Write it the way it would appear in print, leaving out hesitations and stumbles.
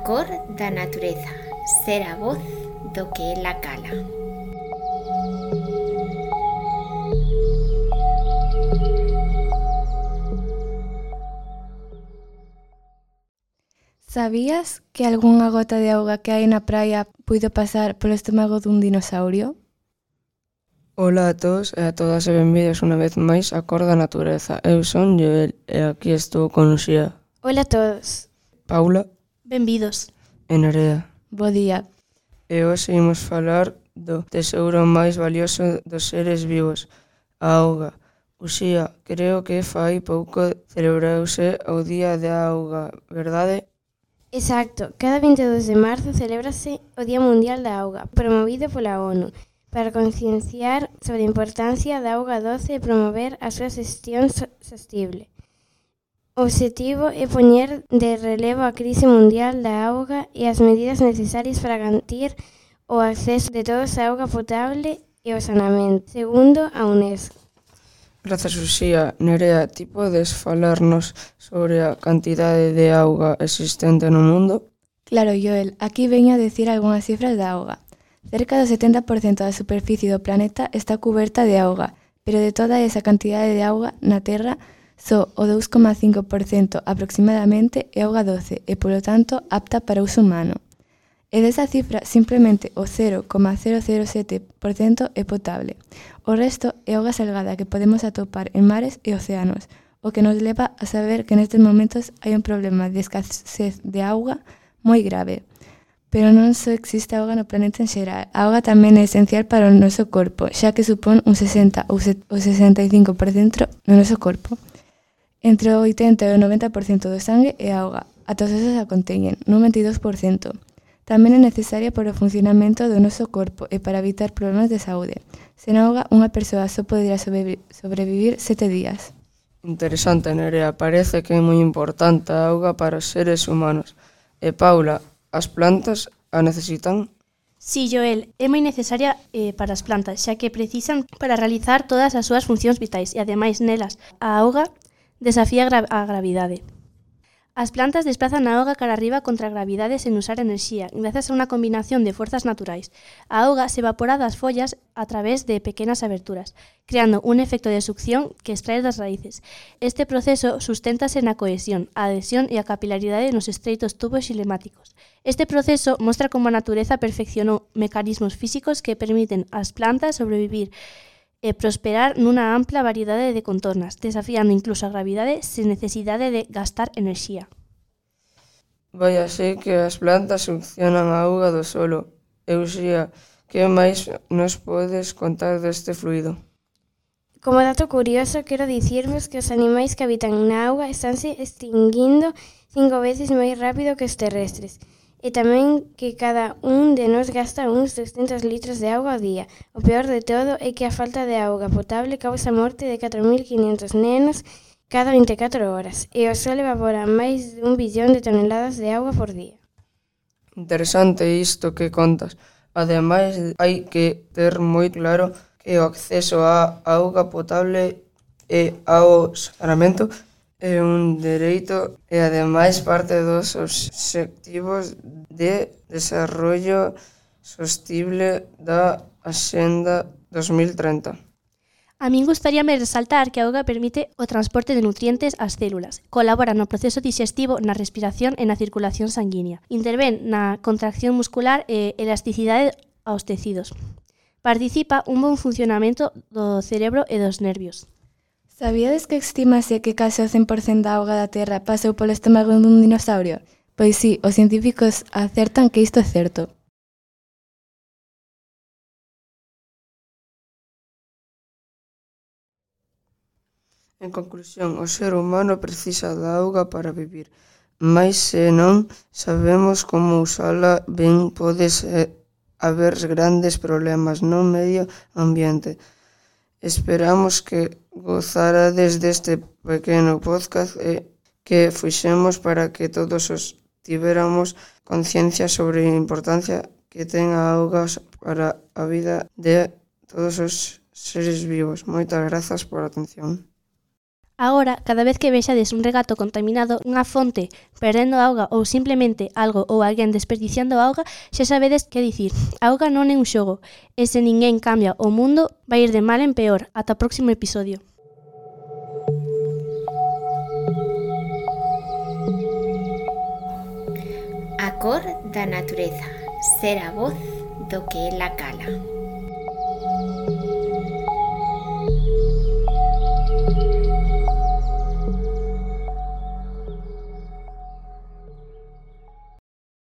cor da natureza, ser a voz do que ela cala. Sabías que algunha gota de auga que hai na praia puido pasar polo estómago dun dinosaurio? Ola a todos e a todas e benvidos unha vez máis a Cor da Natureza. Eu son Joel e aquí estou con Luxía, Ola a todos. Paula Benvidos. e Nerea. Bo día. E hoxe imos falar do tesouro máis valioso dos seres vivos, a auga. Luxía, creo que fai pouco celebrouse o Día da Auga, verdade? Exacto, cada 22 de marzo celébrase o Día Mundial da Auga, promovido pola ONU, para concienciar sobre a importancia da auga doce e promover a súa xestión sostible. O obxectivo é poñer de relevo a crise mundial da auga e as medidas necesarias para garantir o acceso de todos á auga potable e o saneamento, segundo a UNESCO. Grazas, Luxía. Nerea, ti podes falarnos sobre a cantidade de auga existente no mundo? Claro, Joel, aquí veño a decir algunhas cifras da auga. Cerca do 70% da superficie do planeta está cuberta de auga, pero de toda esa cantidade de auga na Terra, só o 2,5% aproximadamente é auga doce e, polo tanto, apta para uso humano. E desa cifra, simplemente o 0,007% é potable. O resto é auga salgada que podemos atopar en mares e océanos, o que nos leva a saber que nestes momentos hai un problema de escasez de auga moi grave. Pero non só existe auga no planeta en xeral, a auga tamén é esencial para o noso corpo, xa que supón un 60 ou 65% no noso corpo. Entre o 80 e o 90% do sangue é auga, ata os osos a conteñen, nun 22%. Tamén é necesaria para o funcionamento do noso corpo e para evitar problemas de saúde. Sen auga, unha persoa só podería sobrevivir 7 días. Interesante, Nerea. Parece que é moi importante a auga para os seres humanos. E Paula, as plantas a necesitan? Sí, Joel, é moi necesaria para as plantas, xa que precisan para realizar todas as súas funcións vitais e, ademais, nelas, a auga desafía a gravidade. As plantas desplazan a auga cara arriba contra a gravidade sen usar enerxía, grazas a unha combinación de forzas naturais. A auga se evapora das follas a través de pequenas aberturas, creando un efecto de succión que extrae das raíces. Este proceso susténtase na cohesión, a adhesión e a capilaridade nos estreitos tubos xilemáticos. Este proceso mostra como a natureza perfeccionou mecanismos físicos que permiten ás plantas sobrevivir e prosperar nunha ampla variedade de contornas, desafiando incluso a gravidade sen necesidade de gastar enerxía. Vai así que as plantas succionan a auga do solo. Luxía, que máis nos podes contar deste fluido? Como dato curioso, quero dicirvos que os animais que habitan na auga estánse extinguindo 5 veces máis rápido que os terrestres. E tamén que cada un de nós gasta uns 200 litros de auga ao día. O peor de todo é que a falta de auga potable causa a morte de 4.500 nenos cada 24 horas, e o sol evapora máis de 1 billón de toneladas de auga por día. Interesante isto que contas. Ademais, hai que ter moi claro que o acceso á auga potable e ao saneamento é un dereito e, ademais, parte dos obxectivos de desarrollo sostible da Axenda 2030. A min gustaríame resaltar que a auga permite o transporte de nutrientes ás células, colabora no proceso dixestivo, na respiración e na circulación sanguínea, intervén na contracción muscular e elasticidade aos tecidos. Participa un bon funcionamento do cerebro e dos nervios. Sabíades que estimase que case o 100% da auga da Terra pasou polo estómago dun dinosaurio? Pois sí, os científicos acertan que isto é certo. En conclusión, o ser humano precisa da auga para vivir, mais se non sabemos como usala ben, pode haber grandes problemas no medio ambiente. Esperamos que gozarades deste pequeno podcast que fixemos para que todos os tiveramos conciencia sobre a importancia que ten a auga para a vida de todos os seres vivos. Moitas grazas por a atención. Agora, cada vez que vexades un regato contaminado, unha fonte perdendo auga ou simplemente algo ou alguén desperdiciando auga, xa sabedes que dicir. A auga non é un xogo, e se ninguén cambia o mundo, vai ir de mal en peor. Ata o próximo episodio. A cor da natureza, ser a voz do que ela cala.